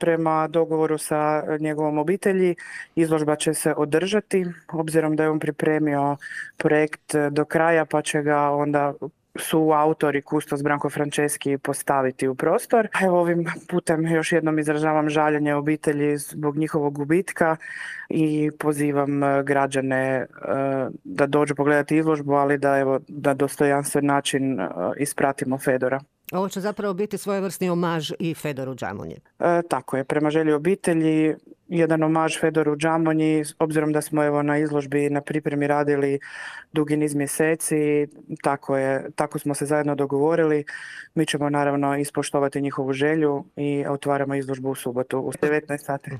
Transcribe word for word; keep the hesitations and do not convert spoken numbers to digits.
prema dogovoru sa njegovom obitelji izložba će se održati, obzirom da je on pripremio projekt do kraja pa će ga onda su autori kustos Branko Franceski postaviti u prostor. Evo ovim putem još jednom izražavam žaljenje obitelji zbog njihovog gubitka i pozivam građane e, da dođu pogledati izložbu, ali da evo na dostojanstven način e, ispratimo Fedora. Ovo će zapravo biti svojevrsni omaž i Fedoru Džamonji. E, tako je, prema želji obitelji, jedan omaž Fedoru Džamonji, obzirom da smo evo na izložbi na pripremi radili dugi niz mjeseci, tako je, tako smo se zajedno dogovorili. Mi ćemo naravno ispoštovati njihovu želju i otvaramo izložbu u subotu u devetnaest sati.